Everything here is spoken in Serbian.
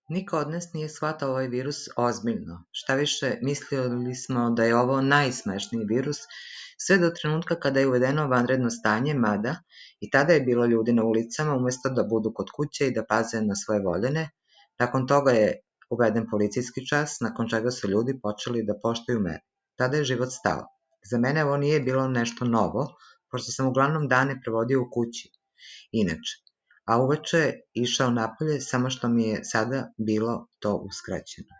Niko od nas nije shvatao ovaj virus ozbiljno. Šta više, mislili smo da je ovo najsmešniji virus, sve do trenutka kada je uvedeno vanredno stanje, mada i tada je bilo ljudi na ulicama umesto da budu kod kuće i da paze na svoje voljene. Nakon toga je uveden policijski čas, nakon čega su ljudi počeli da poštuju mere. Tada je život stao. Za mene ovo nije bilo nešto novo, pošto sam uglavnom dane provodio u kući. Inače, a uveče išao napolje, samo što mi je sada bilo to uskraćeno.